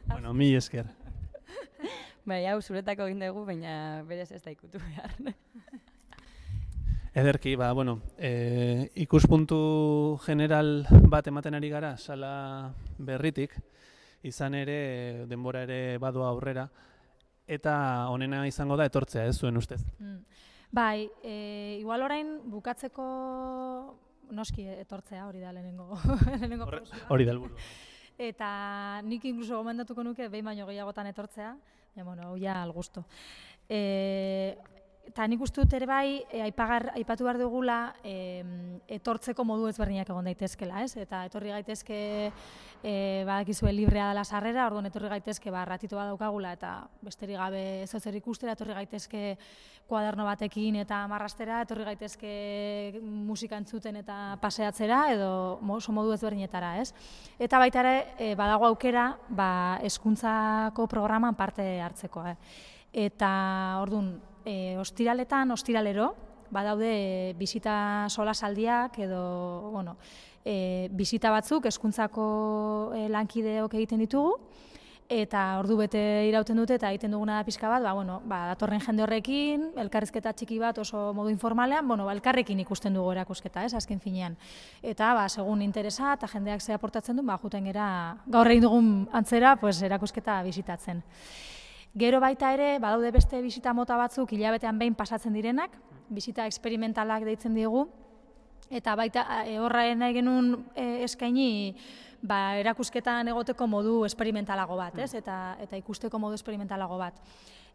bueno, mi esker. Bai, hau zuretako egin dugu, baina berez ez da ikutu behar. Ederki, ba, bueno, e, ikuspuntu general bat ematen ari gara, sala berritik, izan ere, denbora ere badua aurrera, eta honena izango da etortzea, ez zuen ustez? Mm. Bai, e, igual orain bukatzeko noski etortzea hori da lehenengo. lehenengo hori da helburua. Eta nik inkluso gomendatuko nuke behin baino gehiagotan etortzea, ja, bueno, hau ja al gusto. E, Eta nik uste dut ere bai, e, aipagar, aipatu behar dugula e, etortzeko modu ezberdinak egon daitezkela, ez? Eta etorri gaitezke e, badakizue librea dela sarrera, orduan etorri gaitezke ba, ratito bat daukagula eta besterik gabe ez zer ikustera, etorri gaitezke kuaderno batekin eta marrastera, etorri gaitezke musika entzuten eta paseatzera edo oso modu ezberdinetara, ez? Eta baita ere e, badago aukera ba, hezkuntzako programan parte hartzeko, eh? Eta orduan, E, ostiraletan, ostiralero, badaude e, bisita solasaldiak edo, bueno, e, bisita batzuk hezkuntzako e, lankideok egiten ditugu, eta ordu bete irauten dute eta egiten duguna da pixka bat, ba, bueno, ba, datorren jende horrekin, elkarrizketa txiki bat oso modu informalean, bueno, ba, elkarrekin ikusten dugu erakusketa, ez, azken finean. Eta, ba, segun interesa eta jendeak ze aportatzen du, ba, juten gera, gaur egin dugun antzera, pues, erakusketa bisitatzen. Gero baita ere, badaude beste bisita mota batzuk hilabetean behin pasatzen direnak, bisita eksperimentalak deitzen diegu, eta baita e, horra nahi genuen e, eskaini ba, erakusketan egoteko modu esperimentalago bat, ez? Eta, eta ikusteko modu esperimentalago bat.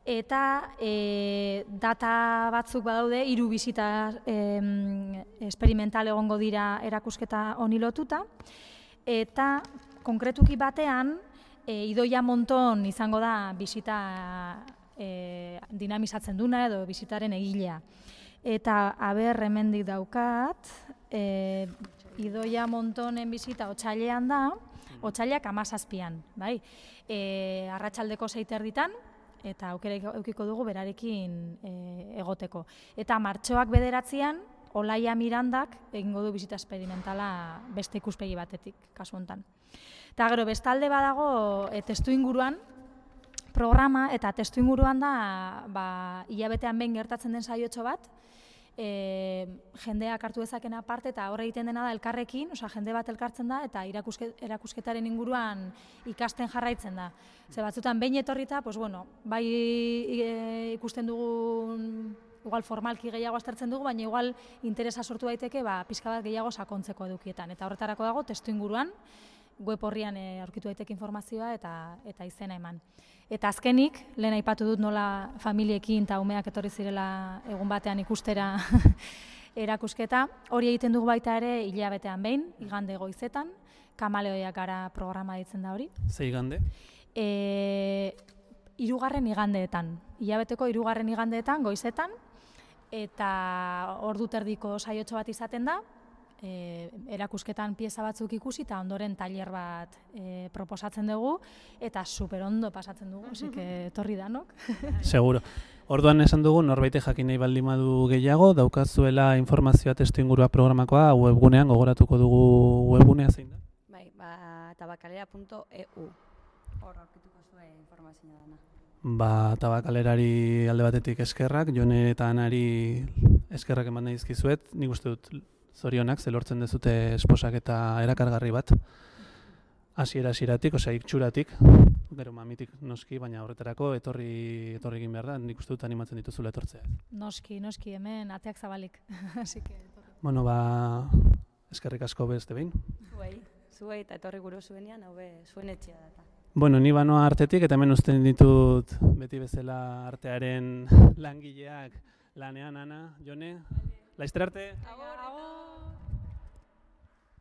Eta e, data batzuk badaude, hiru bisita e, esperimental egongo dira erakusketa honi lotuta, eta konkretuki batean, E, Idoia Monton izango da bisita e, dinamizatzen duna edo bisitaren egilea. Eta aber hemendik daukat, e, Idoia Montonen bisita otsailean da, otsailak hamazazpian, bai? E, arratsaldeko sei terditan, eta aukera edukiko dugu berarekin e, egoteko. Eta martxoak bederatzian, Olaia Mirandak egingo du bizita esperimentala beste ikuspegi batetik, kasu honetan. Eta gero, bestalde badago e, testu inguruan programa, eta testu inguruan da ba, hilabetean behin gertatzen den saiotxo bat, e, jendeak hartu dezakena parte, eta horre egiten dena da elkarrekin, osea, jende bat elkartzen da, eta irakuske, erakusketaren inguruan ikasten jarraitzen da. Ze batzutan behin etorrita, pues bueno, bai e, ikusten dugun, igual formalki gehiago aztertzen dugu, baina igual interesa sortu daiteke ba, pixka bat gehiago sakontzeko edukietan. Eta horretarako dago testu inguruan, web horrian e, aurkitu daiteke informazioa eta, eta izena eman. Eta azkenik, lehen aipatu dut nola familiekin eta umeak etorri zirela egun batean ikustera erakusketa. Hori egiten dugu baita ere hilabetean behin, igande goizetan, kamaleoiak gara programa ditzen da hori. Ze igande? E, irugarren igandeetan, hilabeteko irugarren igandeetan, goizetan, eta ordu terdiko saiotxo bat izaten da, e, erakusketan pieza batzuk ikusi eta ondoren tailer bat e, proposatzen dugu, eta super ondo pasatzen dugu, osik etorri danok. Seguro. Orduan esan dugu, norbait jakin nahi baldin badu gehiago, daukazuela informazioa testu ingurua programakoa webgunean, gogoratuko dugu webgunea zein da? Bai, ba, tabakalera punto e u. Hor aurkituko zuen informazioa dana. Ba, Tabakalerari alde batetik eskerrak, Jone eta Anari eskerrak eman nahi dizkizuet. Nik uste dut zorionak, ze lortzen dezute esposak eta erakargarri bat. Hasiera hasieratik, osea itxuratik, gero mamitik noski, baina horretarako etorri etorri egin behar da. Nik uste dut animatzen dituzula etortzea. Noski, noski, hemen ateak zabalik. Así que bueno, ba, eskerrik asko beste behin. Zuei, zuei eta etorri guru zuenean, hau be, zuen etxea da. Bueno, ni banoa artetik eta hemen uzten ditut beti bezala artearen langileak lanean, Ana, Jone. Laizter arte! Agur, agur!